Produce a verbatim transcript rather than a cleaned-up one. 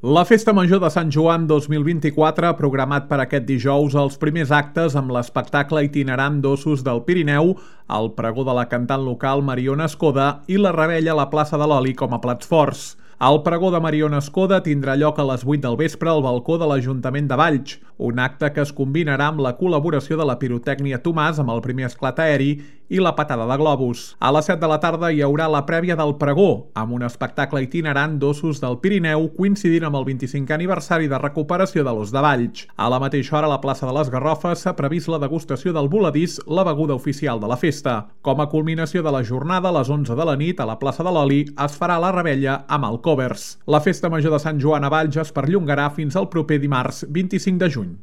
La Festa Major de Sant Joan dos mil vint-i-quatre ha programat per aquest dijous els primers actes amb l'espectacle itinerant d'ossos del Pirineu, el pregó de la cantant local Mariona Escoda i la revetlla a la plaça de l'Oli com a plats forts. El pregó de Mariona Escoda tindrà lloc a les vuit del vespre al balcó de l'Ajuntament de Valls, un acte que es combinarà amb la col·laboració de la pirotècnia Tomàs amb el primer esclat aeri i la patada de globus. A les set de la tarda hi haurà la prèvia del pregó, amb un espectacle itinerant d'ossos del Pirineu coincidint amb el vint-i-cinquè aniversari de recuperació de l'os de Valls. A la mateixa hora, a la plaça de les Garrofes s'ha previst la degustació del voladís, la beguda oficial de la festa. Com a culminació de la jornada, a les onze de la nit, a la plaça de l'Oli, es farà la revetlla amb el covers. La Festa Major de Sant Joan a Valls es perllongarà fins al proper dimarts vint-i-cinc de juny.